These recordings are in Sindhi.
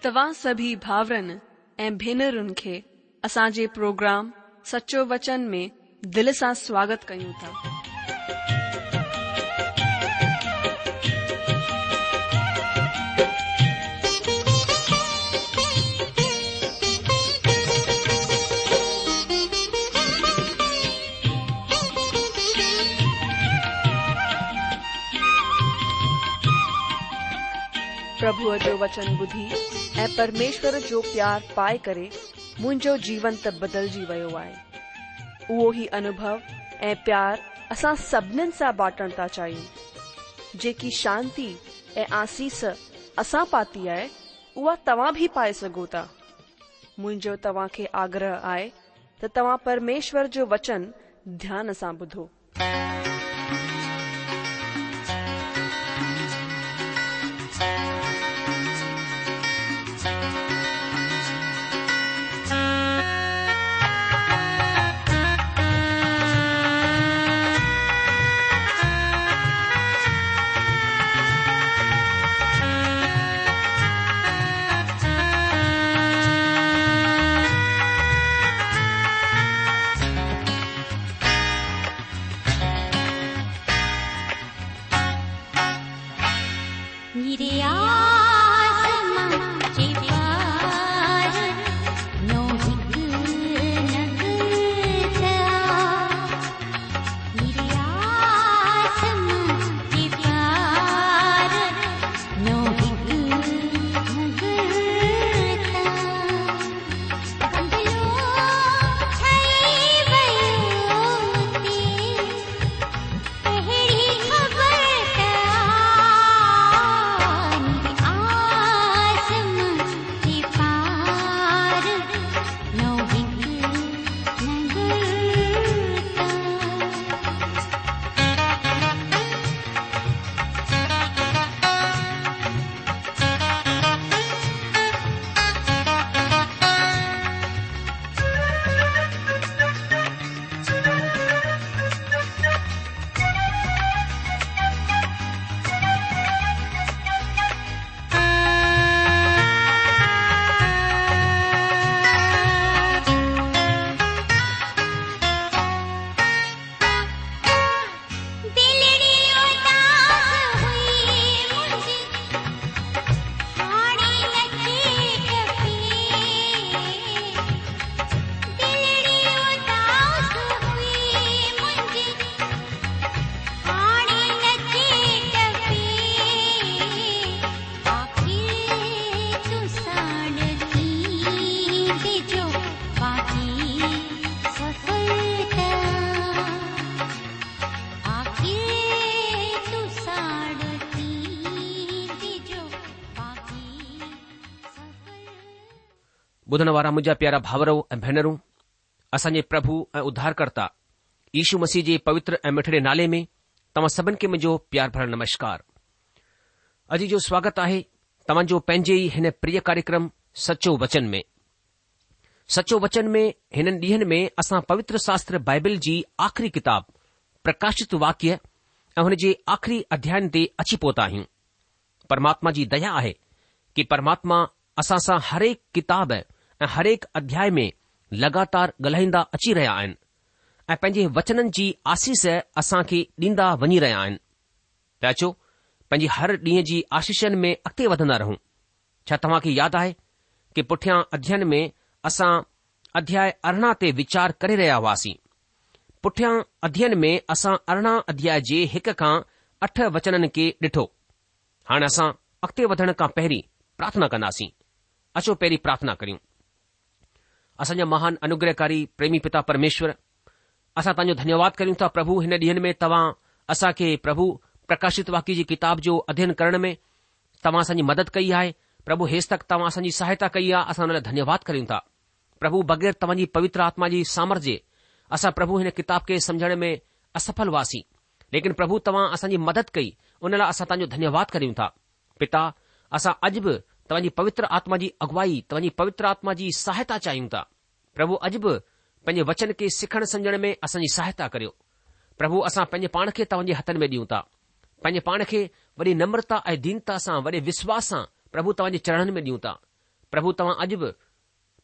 توهان سڀئي ڀائرن ۽ ڀينرن کي اسان جي پروگرام سچو وچن ۾ دل سان سواگت ڪيون ٿا. پرڀوء جو وچن ٻڌي ۽ پرميشور جو پيار پائي ڪري منهنجو جيون ته بدلجي ويو آهي. اهو ئي انوڀو ۽ پيار اسان سڀنين سان بانٽڻ ٿا چاهيون. جيڪي شانتي ۽ آسيس اسان پاتي آهي، اها توهان به پائي سگهو ٿا. منهنجو توهان کي آگرهه آهي ته توهان پرميشور جو وچن ڌيان سان ٻڌو. ٻڌڻ وارا منهنجا پيارا ڀائرو ۽ ڀينرون، اسان جي پرڀو ۽ اڌارڪرتا يشو مسيح جي پوتر ۽ مٺڙي نالي ۾ توهان سڀن کي منهنجو پيار ڀريل نمشڪار. اڄ جو سواگت آهي توهان جو پنهنجي ئي هن پريه ڪاريڪرم سچو وچن ۾. سچو وچن ۾ هنن ڏينهن ۾ اسان پوتر شاستر بائبل جي آخري ڪتاب پرڪاشت واڪيه ۽ هن جي آخري اڌيائن تي اچي پهتا آهيون. پرماتما جي ديا آهي ڪي پرماتما اسان سان هرهڪ ڪتاب ۽ هرهڪ اڌيائي ۾ لڳاتار ڳالهائيندا اچي رهيا آهن ۽ پنهنجي وچنن جي آسيس اسان کي ڏيندا وڃي رهيا آهن ته اچو پنهنجي هر ڏينهن جي آشيشن ۾ اڳتي وڌندا رهون. ڇا توهان کي ياد آهي ڪي پٺيان اڌيين ۾ اسان اڌياء 18 تي ويچار ڪري رهيا هئاسين. پٺيان اڌيين ۾ اسان 18 اڌياء جي هڪ کان اٺ وچنن کي ڏٺو. هاڻ اسان اڳتي وڌڻ کان پهرين پرارٿنا ڪنداسين. اچو پهرين پرارٿنا ڪريون. اسان جا مهان انوگرهڪاري پريمي پتا پرميشور، اسان توهان جو ڌنيواد ڪريون ٿا پرڀو هن ڏينهن ۾ توهان اسان کي پرڀو پرڪاشت واڪيه جي ڪتاب جو اڌيين ڪرڻ ۾ توهان اسان جي مدد ڪئي آهي پرڀو هيستڪ توهان اسان جي سهائتا ڪئي آهي اسان ان لاء ڌنيواد ڪريون ٿا پرڀو بغير توهان جي پوتر آتما جي سامرٿ جي اسان پرڀو هن ڪتاب کي سمجهڻ ۾ اسڦل هئاسين ليڪن پرڀو توهان اسان جي مدد ڪئي ان لاء اسان توهان جو ڌنيواد ڪريون ٿا پتا اسان اڄ به توهان جي پوتر آتما جي اڳوائي توهان جي پوتر آتما جي سهائتا چاهيون ٿا پرڀو اڄ به پنهنجي وچن کي سکڻ سمجهڻ ۾ اسان جي سهائتا ڪريو. پرڀو اسان پنهنجي پاڻ کي توهان جي هٿن ۾ ڏيون ٿا. پنهنجي پاڻ کي وڏي نمرتا ۽ دينتا سان وڏي وشواس سان پرڀو توهان جي چرڻن ۾ ڏيون ٿا. پرڀو توهان اڄ به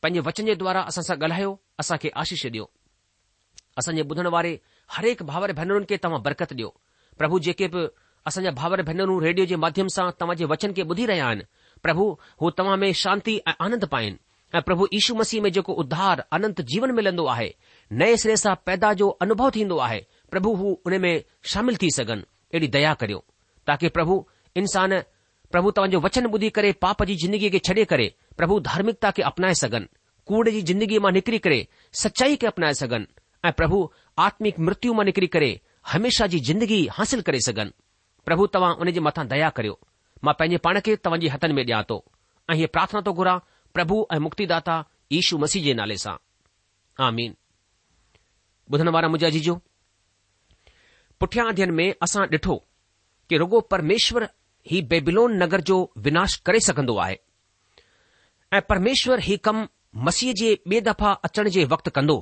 پنهنجي وچن جي دوارا اسان سان ڳالهايو، اسان کي آشيش ڏيو. اسان جي ٻڌڻ واري هرهڪ ڀائر ڀينرن کي توهان برڪت ڏيو. پرڀو جيڪي به اسان جا ڀائر ڀينرون ريڊيو جي ماڌيم سان توهان جي وچن کي ٻڌي رهيا آهن، پرڀو هو توهان ۾ شانتي ۽ آنند پائين ۽ پرڀو يشو مسيح ۾ جيڪو اڌار، اننت جيون ملندو آهي، نئين سري سان پيدا جو انوڀو ٿيندو آهي، پرڀو هو ان ۾ شامل ٿي سگهن، اهڙي ديا ڪريو. تاڪه پرڀو انسان پرڀو توهان جو وچن ٻڌي ڪري پاپ جي زندگيء کي ڇڏي ڪري پرڀو ڌارمڪتا کي اپنائي سگهن، ڪوڙ جي زندگيء مان نڪري ڪري سچائي کي اپنائي سگهن ۽ پرڀو آتمڪ مرتيو مان نڪري ڪري هميشه جي زندگي حاصل ڪري سگهن. پرڀو توهان ان جي مٿان ديا ڪريو. مان پنهنجي پاڻ کي توهان جي هٿن ۾ ڏيان ٿو ۽ هيء پرارٿنا ٿو گهران پرڀو ۽ مڪتيداتا يشو مسيح جي نالي سان. آمين. ٻڌڻ وارا منهنجا عزيزو، پٺيان اڌيين ۾ اسان ڏٺو ڪي رڳو پرميشور هي بيبيلون نگر جو وناش ڪري سگهندو آهي ۽ پرميشور هي ڪم مسيح جي ٻي دفعا اچڻ جي وقت ڪندو.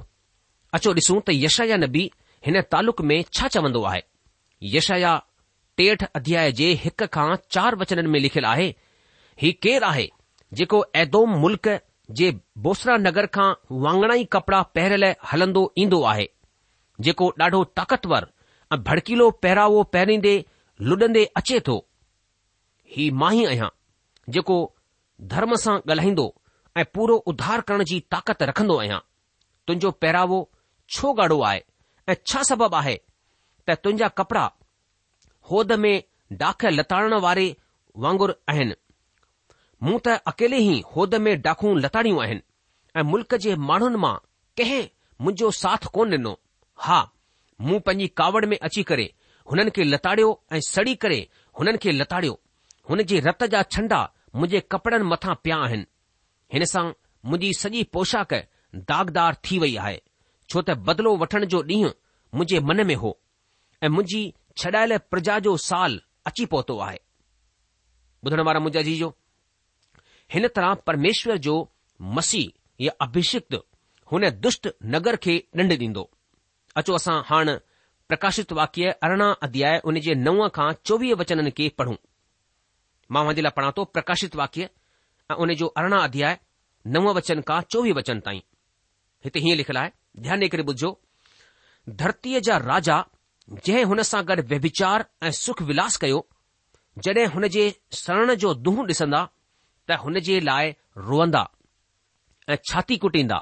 اچو ڏسون ته يشعيا نبي هن تعلق ۾ ڇا چوندو آهي. يشعيا 63 اڌياء جي هڪ کان چار وچنن ۾ لکيل آهي، هي ڪير آهي جيڪو ايدوم ملڪ جي بوسرا نگر کان واڱڻائي ڪپڙا پهريل هلندو ايندو آهي، جيڪو ڏاڍو طاقتور ۽ ڀڙڪيلو پهراوو پهريندي لڏندي اچي ٿو؟ هي مان ئي آهيان، جيڪو ڌرم سان ڳالهائيندو ۽ پورو اڌار ڪرڻ جي طاقت رکندو آهيان. تنهنجو پهراوو ڇو ڳاڙهو آهي ۽ ڇا سبب آهي ته تنهنجا ڪپڙا هود ۾ ڊاک لتاڙڻ واري وانگر آهن؟ مون ته اڪيلي ئي هود ۾ ڊاکون لتاڙيون آهن ۽ ملڪ جي ماڻهن مان ڪنهن منهنجو ساٿ ڪونه ڏنو. ها، مون پنهنجي ڪاوڙ ۾ اچي ڪري هنن کي لتاڙيو ۽ سڙي ڪري هنن کي لتاڙيو. هن جي رت جا ڇنڊا منهنجي ڪپڙن مٿان پيا آهن. هن سان منهنجي سڄي پوشاڪ داغدار ٿي وئي آهي، ڇو ته بدلو وٺڻ جو ڏينهن منهنجي من ۾ هو ۽ منهنجي ڇڏايل پرجا جو سال اچي پهتو آهي. ٻڌڻ وارا منهنجا عزيزو! هن طرح پرميشور جو مسيح يا اڀشڪت هن دشٽ نگر کي ڏنڊ ڏيندو. اچو اسان هاڻ پرڪاشت واڪيه 18 اڌياء ان جي نو کان 24 وچنن کي پڙهون. مان اوهان جي لاء پڙهان ٿو پرڪاشت واڪيه ۽ ان جو 18 اڌياء نو وچن کان 24 وچن تائين. هتي هيئن لکيل آهي، ڌيان ڏيئي ڪري ٻڌجو، ڌرتيء جا راجا جنهن هن سان گڏ ويڀچار ۽ سک ولاس ڪيو، جڏهن هن جي سڙڻ جو دونهون ڏسندا ته هن جي لاء روئندا ۽ ڇاتي ڪٽيندا،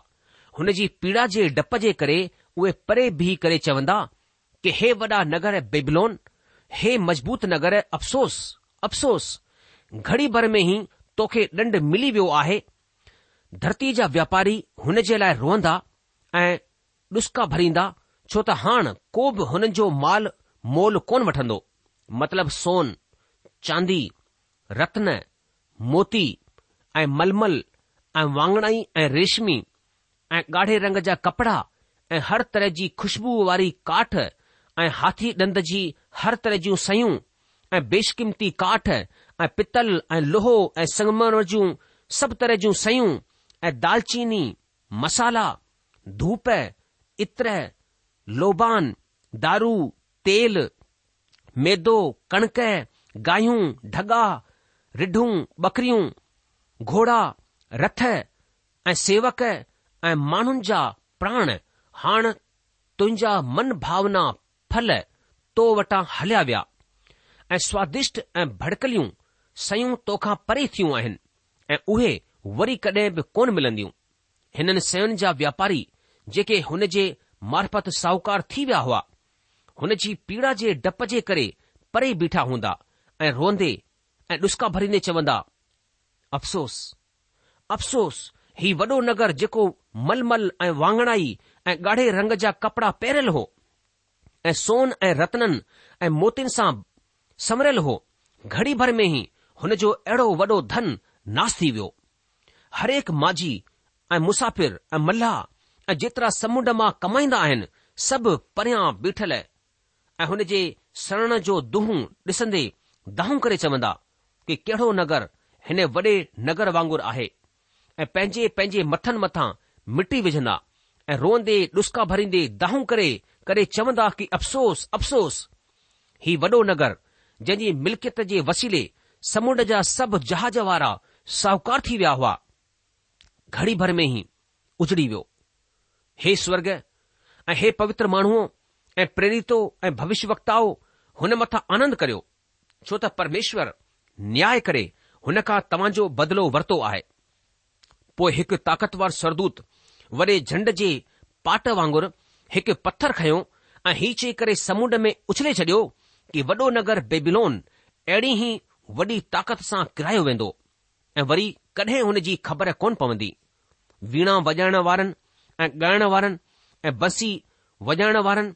هن جي پيڙا جي ڊپ جي ڪري اهي پري بيهي ڪري چوندا ڪي هي وڏا نگر بيبلون، هي مضبوط نگر افسوس، افسوس! گهڙي ڀر ۾ ئي توکي ڏنڊ ملي ويو آهي. ڌرتيء جا واپاري هن جي لاء روئندا ۽ ڏسڪا ڀريندا، ڇو ته هاڻ ڪو به هنن جو مال مول ڪونه وٺندو، مطلب سون، چاندي، رتن، موتي ۽ ململ ۽ واڱڻائي ۽ ريشمي ۽ ڳاڙهي رنگ جا ڪپڙا ۽ هر طرح جي خوشبوء واري ڪاٺ ۽ هاٿي ڏند جي هر طرح جون سيون ۽ بيشقيمتي ڪاٺ ۽ پتل ۽ لوهو ۽ سنگمرمر جون سڀ طرح جون سيون ۽ دالچيني، مصالحا، ڌوپ، عطر، لوبان، دارو، تيل، ميدو، ڪڻڪ، گايون، ڍڳا، رڍون، ٻڪريون، گهوڙا، رٿ ۽ سيوڪ ۽ ماڻهن جا پراڻ هاڻ تنهنجا من ڀاونا ڦل تو وٽان هليا ويا ۽ سوادشٽ ۽ ڀڙڪيليون شيون توکان پري ٿيون آهن ۽ اهي وري ڪڏهن به ڪونه ملنديون. هنن شين جا واپاري جيڪي هن جي معرفت ساهوڪار ٿي ويا هئا، هن جي پيڙا جي ڊپ جي ڪري پري بيٺا هوندا ۽ روئندي ۽ ڏسڪا ڀريندي چوندا، افسوس! افسوس! هي وڏو نگر جيڪو ململ ۽ واڱڻائي ۽ ڳاڙهي رنگ جا ڪپڙا پهريل هو ۽ سون ۽ رتنن ۽ موتين سان سنوريل هو، گهڙي ڀر ۾ ئي هن جو اهڙو وڏو ڌن ناس ٿي ويو. هرهڪ ماجهي ۽ مسافر ۽ ملاح ۽ جيترا سمنڊ مان ڪمائيندا آهن، سڀ پريان بيٺل ۽ هن جي سڙڻ جو دونهون ڏسندي دانهون ڪري چوندا ڪي ڪهڙو نگر هن وڏي نگر وانگر آهي ۽ پنهنجي پنهنجي مٿن مٿان مٽي وجهندا ۽ روئندي ڏسڪا ڀريندي دانهون ڪري ڪري چوندا ڪي افسوس افسوس هي وڏو نگر جنهن جي ملڪيت جي وسيلي سمنڊ جا سڀ جهاز وارا ساهوڪار ٿي ويا هئا. گهڙي ڀر ۾ ئي اجڙي ويو. هي سورڳ ۽ هي پوتر ماڻهوء ۽ پريريتو ۽ ڀوشيه وڪتائو هن مٿان آنند ڪريو، ڇو ته پرميشور نياء ڪري هن کان توهان جو بدلو ورتو آهي. پوء هڪ طاقتور سورڳدوت وڏي جهنڊ جي پاٽ وانگر هڪ پٿر کنيو ۽ هي چئي ڪري سمنڊ ۾ اڇلي ڇڏيو ڪي وڏو نگر بيبيلون اهڙي ئي وڏي طاقت سان ڪرايو ويندو ۽ وري ڪڏهن هن جي خبر ڪونه پوندي. ويڻا وڄائڻ وارن ۽ ڳائڻ وارن ۽ بنسي وڄائڻ وارن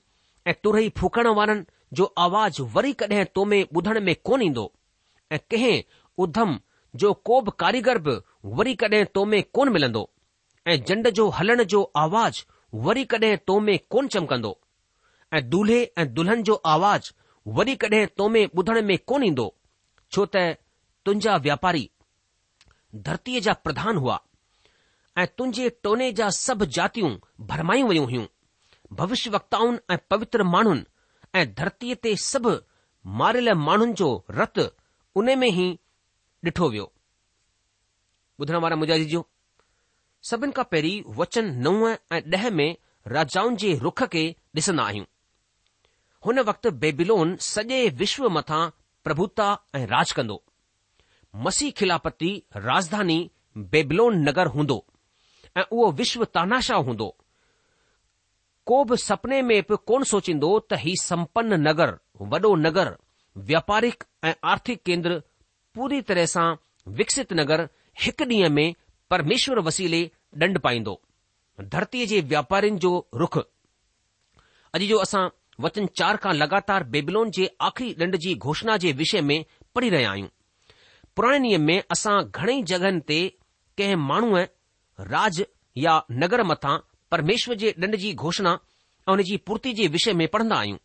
۽ ترهي ڦوڪڻ وارن جو آواز وري ڪڏهن تو ۾ ٻڌڻ ۾ ڪونه ايندو ۽ ڪنهن اڌم جو ڪو به ڪاريگر به وري ڪڏهن تو ۾ ڪونه ملندو ۽ جنڊ جو هلڻ جو آواز وري ڪڏهن تو ۾ ڪونه چمڪندو ۽ دولهي ۽ دلهن جو آواز وري ڪڏهن تو ۾ ٻڌڻ ۾ ڪونه ايندو، ڇو ته تنهنجا واپاري ڌرتيء جا پرڌان هئا ۽ تنهنجي ٽوني جا سڀ جاتيون ڀرمايون ويون هيون. ڀوشيه وڪتائن ۽ پوتر ماڻهن ۽ ڌرتيء تي سڀ ماريل ماڻهن جو رت ان ۾ ئي ڏٺو ويو. ٻڌڻ وارا منهنجا عزيزو! سڀن کان پهرين وچن نو ۽ ڏهه ۾ راجائن جي رخ کي ڏسندا آهيون. هن وقت بيبيلون سڄي وشو مٿان پرڀوتا ۽ راڄ ڪندو. مسيح خلافتي راڄڌاني بيبلون نگر هوندو ۽ اهو وشو تاناشاهه هوندو. ڪو به سپني ۾ به ڪونه سوچيندو ته هي سمپن نگر، وڏو نگر، وياپارڪ ۽ آرٿڪ ڪيندر پوري طرح سان وڪست نگر هڪ ڏينهن ۾ پرميشور وسيلي ڏنڊ پائيندو. ڌرتيء جي واپارين جو رخ. اڄ جو اسان وچن چار کان لڳاتار بيبلون جي آخري ڏنڊ جي گهوشڻا جي وشي ۾ پڙهي رهيا آهيون. پراڻي نيم ۾ اسان گهڻئي جڳهن تي ڪنهن ماڻهوء، راڄ يا نگر مٿان پرميشور جي ڏنڊ جي گهوشڻا ۽ ان جي پورتي جي وشي ۾ پڙهندا آهيون.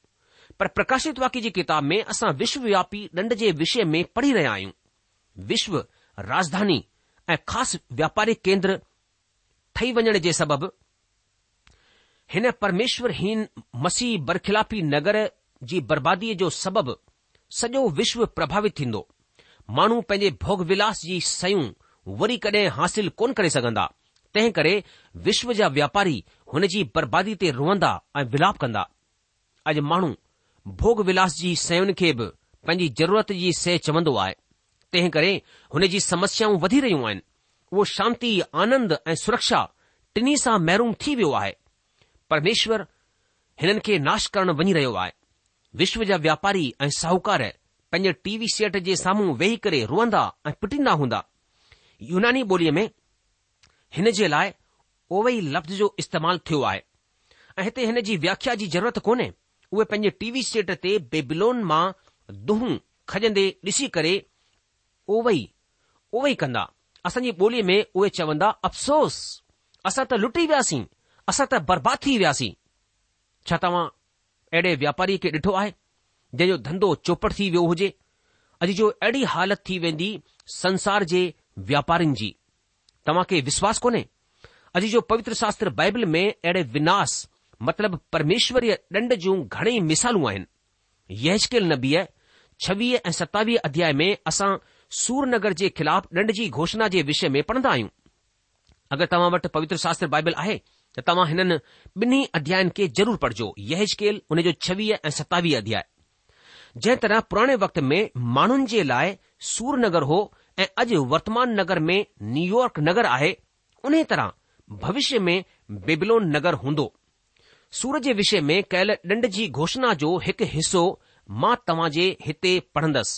پر پرڪاشت واڪيه جي ڪتاب ۾ اسان وشووياپي ڏنڊ جي وشي ۾ پڙهي رهيا آهيون. وشو راڄڌاني ۽ خاص واپاري ڪيندر ٺهي وڃڻ جي سبب هن پرميشورهين مسيح برخلافي نگر جي برباديء جو سبب سڄو وشو پرڀاوت ٿيندو. ماڻهو پنهنجي ڀوڳ ولاس جي شيون وري ڪڏهن حاصل ڪونه ڪري سگهندا، تنهن ڪري وشو جا واپاري هن جي بربادي تي روئندا ۽ ولاپ ڪندا. اڄ ماڻهو ڀوڳ ولاس جي شين کي به پنهنجي ضرورت جي شيء چوندو آهي، تنهن ڪري هن جي سمسيائون وڌي رهيون آهن. اهو شانتي، آنند ۽ سرڪشا ٽنهي سان محروم ٿي ويو آهي. پرميشور هنن کي ناش ڪرڻ وڃي رهيو آهي. وشو جا واپاري ۽ ساهوڪار پنهنجي ٽي وي سيٽ جي سامهون ويهي ڪري روئندا ۽ پٽيندا هوندا. يوناني ٻوليء ۾ هن جي لاء اوئي لفظ جو استعمال ٿيو آهي ۽ هتي هن جي وياکيا جي ضرورت ڪونهي. اهي پنهنجي ٽي وي سيٽ تي بيبلون مان دونهون کڄندي ڏسي ڪري اوئي اوئي ڪندا. اسان جي ٻوليء ۾ اهي چوندا افسوس! اسان ته لٽي وياسين، اسان ته برباد ٿي وياسين. ڇا توهان اهڙي واپاريء کي ڏٺو آهي، جنهن جو ڌنڌو چوپٽ ٿي ويو هجي؟ اڄ جو اهڙي حالت ٿي ويندي سنسار جي واپارين جي. توهان کي وشواس ڪونهي؟ اڄ جو پوتر شاستر بائبل ۾ اهڙي وناس مطلب پرميشوريه ڏنڊ جون گهڻيئي مثالون آهن. يحزقيل نبيء ڇويهه ۽ ستاويهه اڌياء ۾ اسان سور نگر جي خلاف ڏنڊ جي گهوشڻا جي وشي ۾ پڙهندا آهيون. اگر توهان وٽ پوتر شاستر بائبل آهي ته توهان هنن ٻنهي اڌيائن کي ضرور پڙهجو، يحزقيل ان جو ڇويهه ۽ ستاويهه اڌياء. جنهن طرح پراڻي وقت ۾ ماڻهن جي لاء سور نگر هو ۽ اڄ ورتمان نگر ۾ نيويارڪ نگر آهي، انهيء طرح ڀوشيه ۾ بيبلون نگر هوندو. سور جي وشي ۾ ڪيل ڏنڊ جي گهوشڻا جو هڪ حصو مان توهان جي هتي پڙهندس.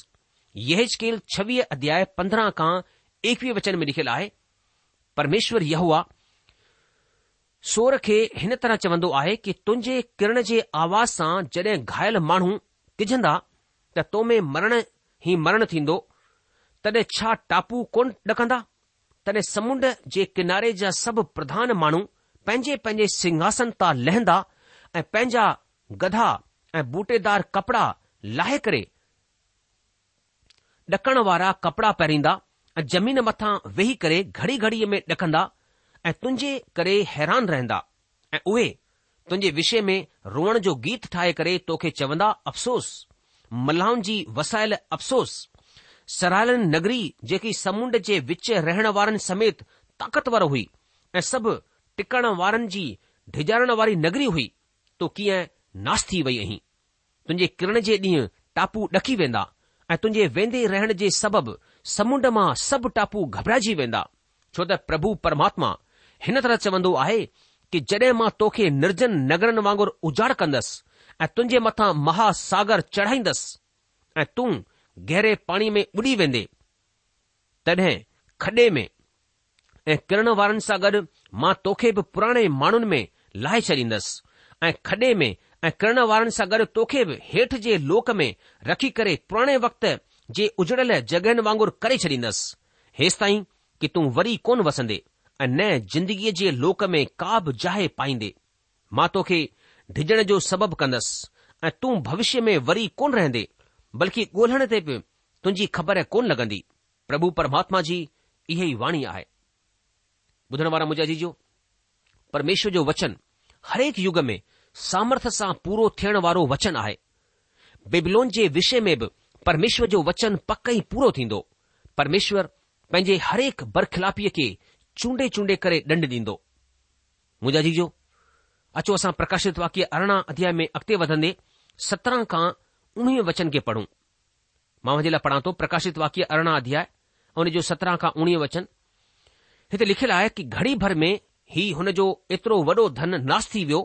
يحزقيل ڇويهه اڌياء 15 کان ايڪويهه وچن ۾ لکيل آهي، پرميشور يهوه سور کي هن طرح چوندو آهي ڪي تنهنجي ڪرڻ جي آواز سان جڏهن گهايل ماڻهو ڪجهندا ته تو ۾ مرڻ ئي مرڻ ٿيندو، تڏهن ڇا ٽاپو ڪونه ڏڪندا؟ تڏهن سمنڊ جي ڪناري جا سڀ پرڌان ماڻهو پنهنجي پنهنجي سنگهاسن تان لهندا ۽ پنهنجا گڌا ۽ بوٽيدار ڪپڙا لاهي ڪري ڏڪڻ وارا ڪپڙا پهريندا ۽ زمين مٿان ويهي ڪري گهڙي گهڙيء ۾ ڏڪندا ۽ تنهنجي ڪري حيران رهندا ۽ اهي تنهنجي وشي ۾ روئڻ جو گيت ٺاهي ڪري توکي چوندا، افسوس! ملاحن جي وسايل افسوس! سراهيل نگري جيڪي سمنڊ جي وچ رهڻ وارن سميت طاقتور هئي! ۽ سڀ ٽڪڻ وارن جي ڊيڄارڻ واري نگري هئي، تون ڪيئن ناس ٿي وئي آهين. تنهنجي ڪرڻ جي ڏينهن ٽاپو ڏڪي ويندا ۽ تنهنجي ويندي رهڻ جي سبب سمنڊ مان سڀ ٽاپو گهٻرائجي ويندا، ڇو ته پرڀو پرماتما هن طرح چوندو آهي ڪي جڏهن مان توکي نرجن نگرن وانگر اجاڙ ڪندس ۽ تنهنجي مٿان مها ساگر چڙهائيندس ۽ تون گهري پاڻي ۾ ٻڏي ويندي، تڏهن کڏي ۾ ۽ ڪرڻ وارن سان گڏ مان توکي به پراڻي ماڻهن ۾ لاهي ڇڏيندس ۽ کڏي ۾ ۽ ڪرڻ وارن سان گڏ توکي به هيٺ جي لوڪ ۾ رکي ڪري پراڻي وقت جي اجڙيل جڳهين وانگر ڪري ڇڏيندس، هيستائين ڪي تون وري ڪونه وسندي ۽ نه زندگيء جي لوڪ ۾ ڪا به جاء پائيندي. مان توکي ڊڄڻ جو سبب ڪندس ۽ تون ڀوشيه ۾ وري ڪونه رهندي، بلڪه ڳولڻ تي به تنهنجي خبر ڪونه لڳندي. پرڀو پرماتما جي اها ئي واڻي آهي. ٻڌڻ وارا منهنجا عزيزو، پرميشور جو وچن هرهڪ يگ ۾ سامرٿ سان پورو ٿيڻ وارو وچن آهي. بيبلون جي وشي ۾ به پرميشور جو وچن پڪ ئي پورو ٿيندو. پرميشور پنهنجي هرهڪ برخلافيء کي چونڊي چونڊي ڪري ڏنڊ ڏيندو. منهنجا عزيزو، اچو اسان پرڪاشت واڪيه 18 اڌياء ۾ اڳتي وڌندي 17 کان 19 وچن کي پڙهون. مان اوهان جي لاء پڙهان ٿو پرڪاشت واڪيه 18 اڌياء ان جو 17 کان 19 وچن. هتي لکيل آهي ڪي گهڙي ڀر ۾ هي هن جو ايترو وڏو ڌن ناس ٿي ويو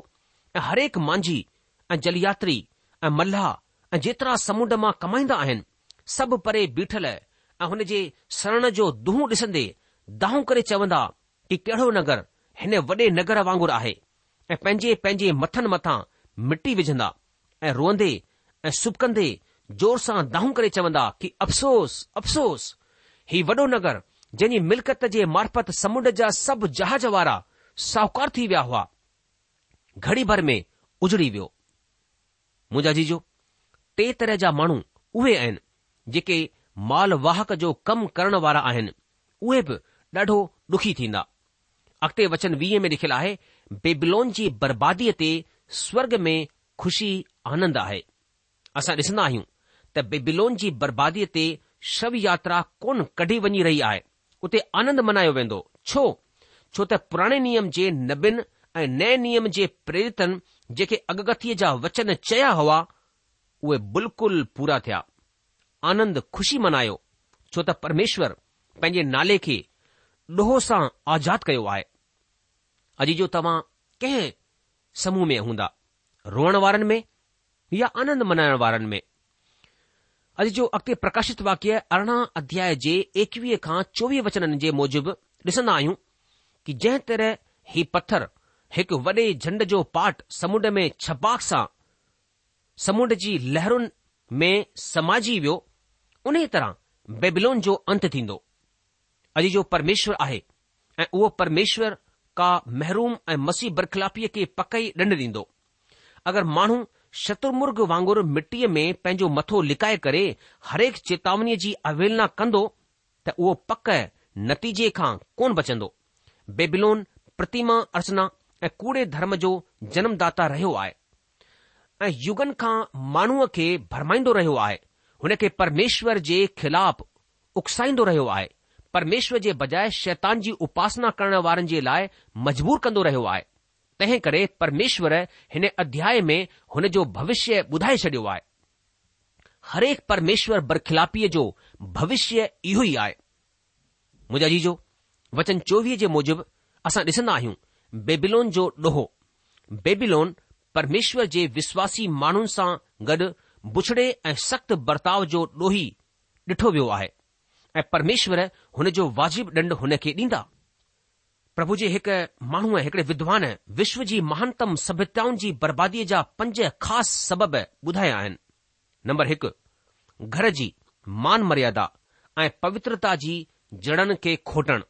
۽ هرهڪ مانجهي ۽ جلياتري ۽ ملاح ۽ جيترا سمنڊ مان ڪمائيندا آهن سڀ پري بيٺل ۽ هن جي سڙڻ جو دونهون ڏسندي دانهون ڪري چوندا ڪي ڪهڙو نگر هن وڏي نگر وانگر آهي ۽ پنهنجي پنهنجي مٿن مٿان مٽي وجهندا ۽ روئندي ۽ سبڪندي زور سان دانهون ڪري چوندا ڪي افسوس! افسوس! هي وڏو نگر جنهن جي ملڪيت جي معرفت سمنڊ جا سڀ جهاز وارا ساهوڪار ٿي ويا هئا، گهڙي ڀر ۾ اجڙي ويو. منهنجا عزيزو، ٽي طرح جا ماڻهو اهي آهن جيڪي مال واهڪ جو ڪم ڪرڻ وارا آهن، اهي به ڏاڍو ڏکي ٿيندا. اڳتي وچن 20 ۾ لکيل آهي، بيبلون جي برباديء تي سورڳ ۾ خوشي آنند آهي. اسان ڏسندا آهيون ته بيبلون جي برباديء تي شو ياترا ڪونه ڪڍي وڃي رهي آهي، اتي آنند منايو ويندو. ڇو؟ ڇو ته پراڻي نيم جي نبين ۽ نئين نيم جي پريرتن جيڪي اڳڪٿيء جا وچن چيا هئا، اهي بلڪل پورا ٿيا. آنند خوشي منايو، ڇو ته پرميشور پنهنجي نالي کي ڏوهه سان آزاد ڪيو آهي. عزيزو توهان ڪنهن سموهه ۾ هوندا، روئڻ وارن ۾ يا آنند منائڻ وارن ۾؟ عزيزو اڳتي پرڪاشت واڪيه 18 اڌياء جي 21 کان 24 وچنن جي موجب ڏسندا آهيون ڪي جنهن طرح هي پٿر هڪ وڏي جهنڊ جو پاٽ سمنڊ ۾ ڇپاڪ سان سمنڊ جي لهرن ۾ سمائجي ويو، انهيء طرح بيبلون جو انت ٿيندو. عزيزو پرميشور آهي ۽ اهو پرميشور ڪا محروم ۽ مسيح برخلافيء کي پڪ ئي ڏنڊ ڏيندو. اگر ماڻهو شترمرغ وانگر مٽيء ۾ پنهنجو مٿو لڪائي ڪري هرهڪ چيتاونيء جي اوهيلنا ڪندو ته اهو پڪ نتيجي کان ڪونه بچندو. بيبلون پرتيما ارچنا ۽ ڪوڙي ڌرم جو جنمداتا رهيو آهي. ۽ يگن کان ماڻهوء کي ڀرمائيندو رهيو آهي، هن کي پرميشور جي خلاف اڪسائيندو رهيو آهي، پرميشور جي بجاء شيطان جي اپاسنا ڪرڻ وارن جي لاء مجبور ڪندو رهيو آهي. تنهن ڪري پرميشور هن اڌياء ۾ هن جو ڀوشيه ٻڌائي ڇڏيو آهي. هرهڪ پرميشور برخلافيء جو ڀوشيه اهو ئي آهي. منهنجا عزيزو، وچن 24 جي موجب اسان ڏسندا آهيون بيبيلون جو ڏوهه. بيبيلون پرميشور جي وشواسي ماڻهن سان گڏ بڇڙي ۽ سخت برتاء جو ڏوهي ڏٺو ويو آهي ۽ پرميشور هن جو واجب ڏنڊ هن کي ڏيندا. پرڀو جي هڪ ماڻهوء هڪڙي ودوان وشو جي مهانتم سڀيتائن جي برباديء جا پنج خاص سبب ٻڌايا آهن. نمبر هڪ، گهر جي مان مريادا ۽ پوترتا جي جڙن کي کوٽڻ،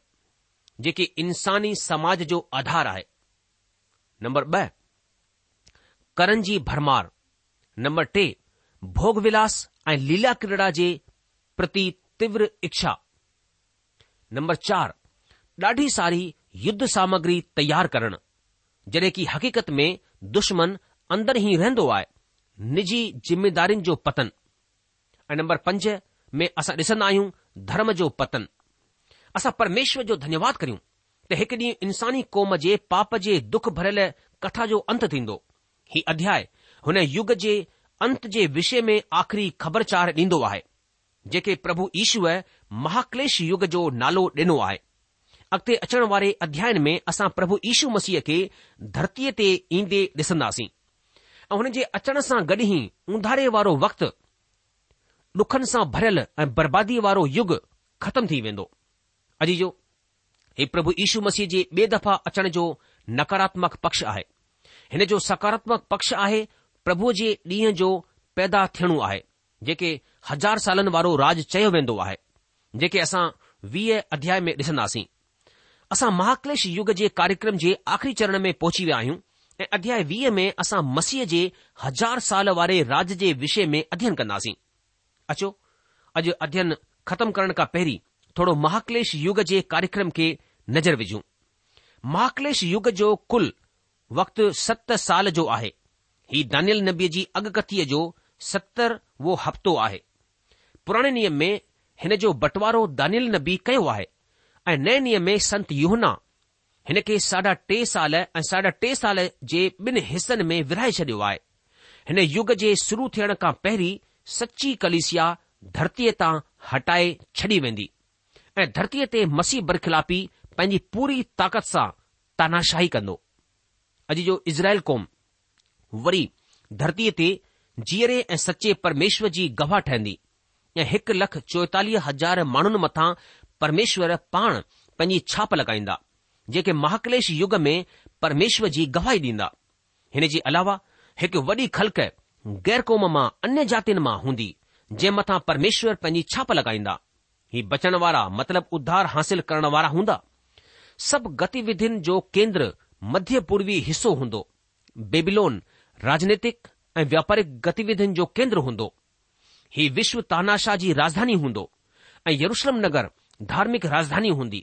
جيڪي انساني سماج جو آڌار آهي. نمبر ٻه، ڪرن جي ڀرمار. نمبر ٽي، ڀوڳ ولاس ۽ ليلا ڪريڙا جي پرتي تيور اڇا. نمبر چار، ڏاڍي ساري يڌ سامگري تيار ڪرڻ، جڏهن ڪي حقيقت ۾ دشمن اندر ئي رهندو آهي، نجي ذميدارين جو پتن. ۽ نمبر پنج ۾ اسان ڏسندا آهيون ڌرم جو پتن. اسان پرميشور جو ڌنيواد ڪريون. ته هڪ ڏينهن انساني قوم جي پاپ جي دک ڀريل ڪٿا جو انت ٿيندو. هي اڌياء هن يگ جي انت جي وشي ۾ آخري خبرچار ڏيندو آهي، جنهن کي پرڀو يشوء مهاڪليش يگ جو نالو ڏنو آهي. اڳتي اچڻ واري اڌيائن ۾ اسان پرڀو يشو مسيح کي ڌرتيء تي ايندي ڏسنداسين ۽ هن جي اچڻ سان گڏ ئي اونڌاري وارو وقت، ڏکن سان ڀريل ۽ برباديء وارو يگ ختم ٿي ويندو. عزيزو! هي پرڀو يشو مسيح جي ٻي دفعا اچڻ جو نڪاراتمڪ پڪش آهي. هن جو سڪاراتمڪ پڪش آهي پرڀوء جي ڏينهن جو پيدا ٿيڻو آهي، جيڪي هزار سالن وارو راڄ چيو ويندو آهي، جيڪي اسان 20 اڌياء ۾ ڏسنداسين. اسان مهاڪليش يگ جي ڪاريڪرم جي آخري چرڻ ۾ پهچي ويا آهيون ۽ اڌياء 20 ۾ اسان مسيح جي هزار سال واري راڄ جي وشي ۾ اڌين ڪنداسين. اچو اڄ اڌين ختم ڪرڻ کان پهرين ٿورو مهاڪليش يگ جي ڪاريڪرم کي نظر وجهون. مهاڪليش يگ جو ڪل وقت ست سال جو آهي. هي دانيل نبيء جي اڳڪٿيء جو 70 وو هفتو آهي. پراڻي نيم ۾ هن جو بٽوارو دانيل نبي ڪيو آهي ۽ نئين نيم ۾ سنت يوحنا هن کي ساڍا ٽي سال ۽ ساڍا ٽي سال جي ٻن حصن ۾ ورهائي ڇڏيو آهي. هن يگ جي شروع ٿيڻ کان پهرين سچي ڪليسيا ڌرتيء تان هٽائي ڇڏي ويندي ۽ ڌرتيء تي مسيح برخلافي پنهنجي پوري طاقت سان تاناشاهي ڪندو. اڄ جو اسرائيل قوم وري ڌرتيء تي جيئري ۽ سچي پرميشور جي گواهه ٺهندي ۽ 1,44,000 ماڻهن مٿان پرميشور پاڻ پنهنجي ڇاپ لڳائيندا، جيڪي مهاڪليش يگ ۾ پرميشور جي گواهي ڏيندا. هن جي علاوه هڪ وڏي خلق غير قوم مان انيه جاتين مان هوندي، جنهن مٿان پرميشور پنهنجي ڇاپ لڳائيندا. هي بچڻ وارا مطلب اڌار حاصل ڪرڻ وارا هوندا. سڀ گتيوڌين جو ڪيندر مڌيه پوروي حصو هوندو. بيبيلون راجنيتڪ ۽ واپارڪ گتيوڌين جو ڪيندر هوندو. هي وشو تاناشاهه جي راڄڌاني هوندو ۽ يروشلم نگر ڌارمڪ راڄڌاني هوندي.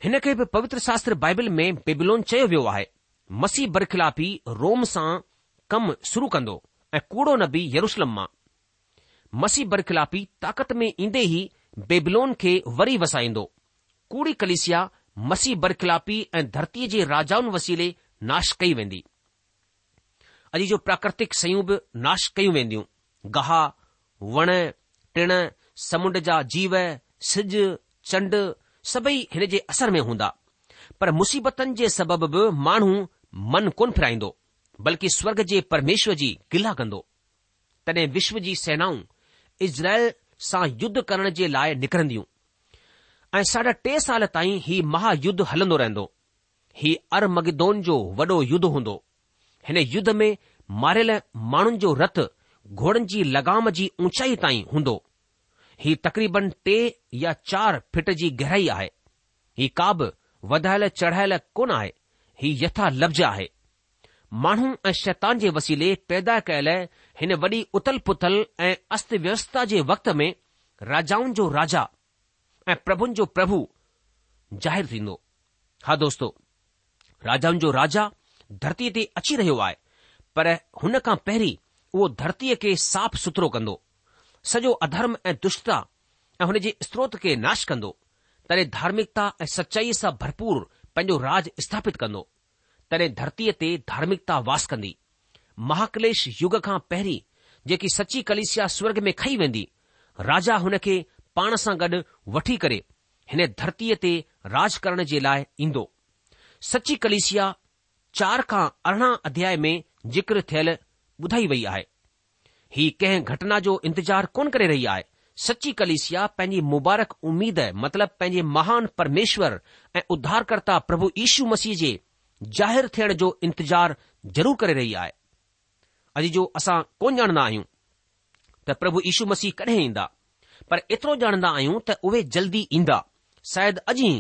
هن کي به پوتر شاستر بائبل ۾ بيبيلون چيو ويو آهي. مسيح برخلافي روم سان ڪم شروع ڪندو ۽ ڪوڙو نبي يروشلم مان. مسيح برخلافي طاقت ۾ ايندي ئي بيبلون کي وري وسائيندو. ڪوڙي ڪليسيا مسيح برخلافي ۽ ڌرتيء جي راجائن وسيلي ناش ڪئي ويندي. اڄ جو پراڪرتڪ شيون به ناش ڪيون وينديون. گاهه، وڻ، ٽڻ، سمنڊ جا جيو، سج، چنڊ سڀئي هن جي اثر ۾ هوندا. پر مصيبتن جي سبب به ماڻهو من ڪونه ڦيرائيندو، بلڪه سورڳ جي پرميشور جي گلا ڪندو. تڏهن وشو جي سينائون اسرائيل سان يڌ ڪرڻ جي لاء نڪرنديون ۽ ساڍا ٽي سال تائين هي مها يڌ هلندو رهندو. هي ارمگدون جو وڏو يڌ هوندو. هن يڌ ۾ ماريل ماڻهن جو رت گهوڙن جي لگام جي اونچائي تائين هوندو. هي تقريبن ٽي يا چار فٽ جي گهرائي آهي. هي ڪا به وڌايل چڙهايل ڪونه آهي، هي يٿا لفظ آهي. ماڻهو ۽ شيطان جي وسيلي پيدا ڪيل هن وڏي اٿل پٿل ۽ است ويوسٿا جي وقت ۾ راجائن جو راجا ۽ پرڀن جو پرڀو ظاهر ٿيندو. ها دوستو، راجائن جو راجا ڌرتيء تي اچي رهيو آهي، پر هن کان پهرين اهو ڌرتيء کي صاف سٿرو ڪندو. سڄو اڌرم ۽ دشٽتا ۽ هن جي استروت کي ناش ڪندو. تڏهن ڌارمڪتا ۽ سچائيء سان ڀرپور پنهنجو راڄ اسٿاپت ڪندو. تڏهن ڌرتيء تي ڌارمڪتا واس ڪندي. مهاڪليش يگ کان پهرين جيڪي سچي ڪليسيا سورڳ ۾ کنئي ويندي، راجا هن کي پاڻ سان گڏ وٺي ڪري هن ڌرتيء تي راڄ ڪرڻ جي لاء ايندو. سچي ڪليسيا چار کان 18 اڌياء ۾ ذڪر ٿيل ٻڌائي وئي آهي. هي ڪنهن گهٽنا جو انتظار ڪونه ڪري رهي آهي. سچي ڪليسيا پنهنجي مبارڪ اميد مطلب پنهنجي مهان پرميشور ۽ اڌارڪرتا پرڀو يشو مسيح جي ظاهر ٿيڻ جو انتظار ضرور ڪري رهي آهي. عزيزو اسان ڪونه ڄاڻندا آهيون ته پرڀو يشو مسيح ڪڏهن ايندا پر ايترو ڄاڻندا آهيون ته اهي جلدي ايندا شايد اڄ ئي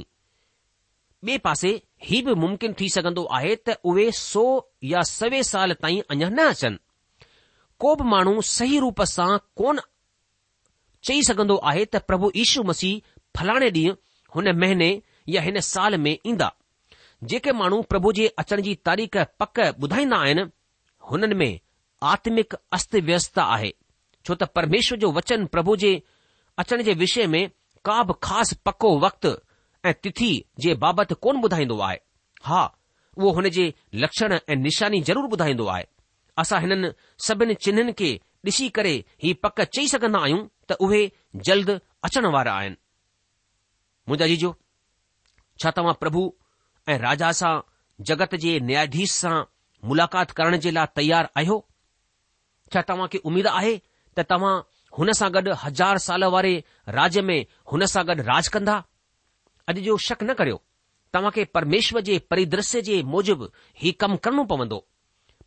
ٻئي پاسي هي به ممڪن ٿي سگهندو آهي ته اهي سو يا سوين سال تائين اڃا نه اچن. ڪو به ماڻهو صحيح روپ سان ڪونه چئي سگهندو آهي ته پرڀو يشو مسيح فلاڻي ڏينهن، هن مهيني يا هن سال ۾ ايندا. جيڪي ماڻهو پرڀو جي اچڻ جي تاريخ پڪ ٻڌائيندا آهن، هنن ۾ آتمڪ است ويستا آهي، ڇو ته پرميشور جو وچن پرڀو جي اچڻ جي وشي ۾ ڪا به خاص پڪو وقت ۽ تٿي جي بابت ڪونه ٻڌائيندو آهي. ها، اهو هن جي لڪشڻ ۽ نشاني ضرور ٻڌائيندو آهي. اسان هنن سڀن چنهن کي ڏسي ڪري هي پڪ چئي سگهندا آهيون ته اهي جلد اچڻ وارا آهن. منهنجا عزيزو، ڇا توهان پرڀو ۽ راجا سان جڳت جي نياياڌيش سان ملاقات ڪرڻ جي لاء تيار آهيو؟ ڇا توهان کي اميد آهي ته توهان هن سان گڏ هزار سال واري راڄ ۾ هن سان گڏ راڄ ڪندا؟ اڄ جو شڪ نه ڪريو، توهان کي پرميشور جي پريدرشيه جي موجب هي ڪم ڪرڻو پوندو.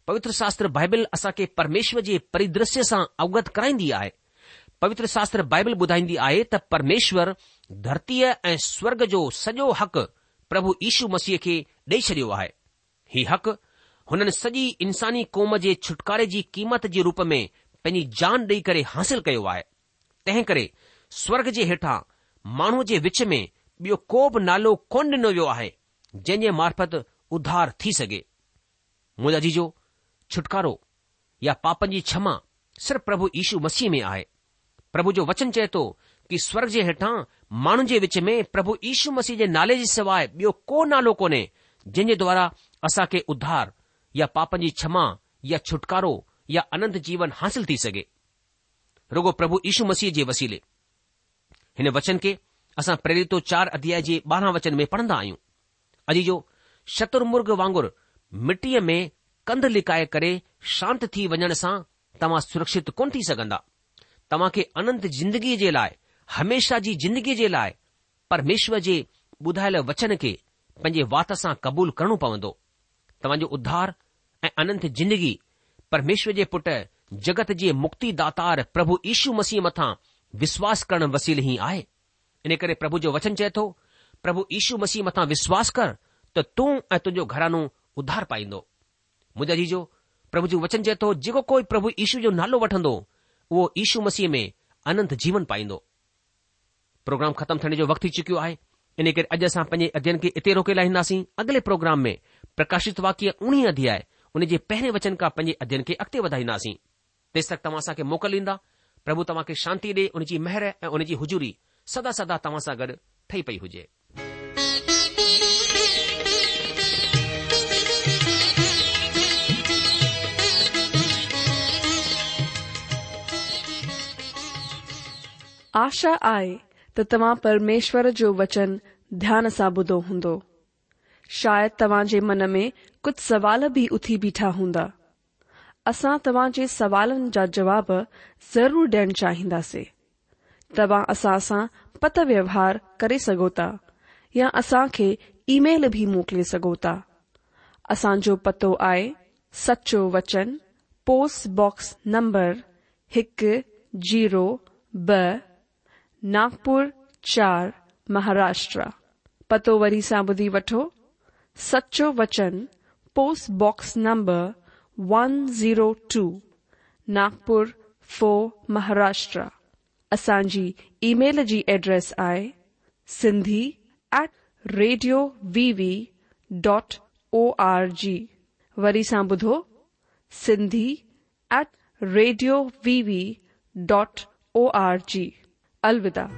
پوتر شاستر بائبل اسان کي پرميشور جي پريدرشيه سان اوگت ڪرائيندي آهي. پوتر شاستر بائبل ٻڌائيندي آهي ته پرميشور ڌرتيء ۽ سورڳ جو سڄو حق پرڀو يشو مسيح کي ڏئي ڇڏيو آهي. هي حق هنن سڄي انساني قوم جي ڇوٽڪاري جي قيمت جي روپ ۾ پنهنجي جان ڏئي ڪري حاصل ڪيو آهي. تنهن ڪري سورڳ جي هيٺان ماڻهوء جي وچ ۾ ٻيو ڪو به نالو ڪونه ڏنو ويو آهي، جنهن جي معرفت اڌار ٿي سگهي. منهنجا عزيزو، ڇوٽڪارو يا پاپن جي ڇما صرف پرڀو يشو مسيح ۾ آهي. پرڀو جو وچن چئي ٿو ڪي سورڳ جي هيٺان ماڻهن جي وچ ۾ پرڀو يشو مسيح جي نالي جي سواء ٻيو ڪو نالو ڪونهي جنهن جي دوارا اسان کي اڌار يا پاپن جي ڇما يا ڇوٽڪارو يا اننت جيون حاصل ٿي سگهي. رڳو پرڀو يشو مسيح جي وسيلي. هن وچن کي اسان پريريتو چار اڌيائي جي ٻارهن وچن ۾ پڙهندا آهيون. عزيزو، شتر مرغ وانگر مٽيء ۾ ڪنڌ لڪائي ڪري شانت ٿي وڃڻ سان توهان سرڪشت ڪونه ٿي سگهندا. توهان کي اننت زندگيء جي لاء، هميشه جي زندگيء جي لاء، پرميشور جي ٻڌايل وچن کي پنهنجي وات سان قبول ڪرڻو پوندو. توهان جو اڌار ۽ اننت زندگي پرميشور جي پٽ جڳت جي مڪتي داتار پرڀو يشو مسيح مٿان وشواس ڪرڻ وسيلي ئي آهي. ان ڪري پرڀو جو وچن چئي ٿو، پرڀو يشو مسيح مٿان وشواس ڪر ته تون ۽ تنهنجو گهراڻو اڌار پائيندو. منهنجا عزيزو، پرڀو جو وچن چئي ٿو، جيڪو ڪوئي پرڀو يشو جو نالو وٺندو، اهو يشو مسيح ۾ اننت جيون پائيندو. پروگرام ختم ٿيڻ جو وقت ٿي چڪيو آهي، ان ڪري اڄ اسان پنهنجي اڌيين کي اتي روڪي لاهينداسين. اڳلي پروگرام ۾ پرڪاشت واڪيه اوڻيهه اڌياء ان جي پهرين وچن کان پنهنجي اڌيين کي اڳتي وڌائينداسين. تيستڪ توهان اسان کي موڪل ڏيندا. پرڀو توهان کي شانتي ڏي، ان جي مهر ۽ ان جي حضوري سدا سدا توهان سان گڏ ٺهي پئي هجي. آشا آهي ته توهان پرميشور جو وچن ڌيان سان ٻڌو هوندو. شايد توهان جي من ۾ ڪجهه سوال به اٿي بيٺا هوندا. اسان توهان جي سوالن جا جواب ضرور ڏيڻ چاهينداسين. توهان اسان سان پتر ويوهار ڪري سگهو ٿا يا اسان کي اي ميل به موڪلي سگهو ٿا. اسان جو پتو آهي سچو وچن پوسٽ باڪس نمبر هڪ زيرو ٻه ناگپور چار مهاراشٽرا. پتو وري سان ٻڌي وٺو سچو وچن post box number one zero two Nagpur four Maharashtra. اسان جي اي ميل جي ايڊريس آهي Sindhi at radio V V dot O R G وري سان ٻڌو Sindhi at radio V V dot O R G. الوداع.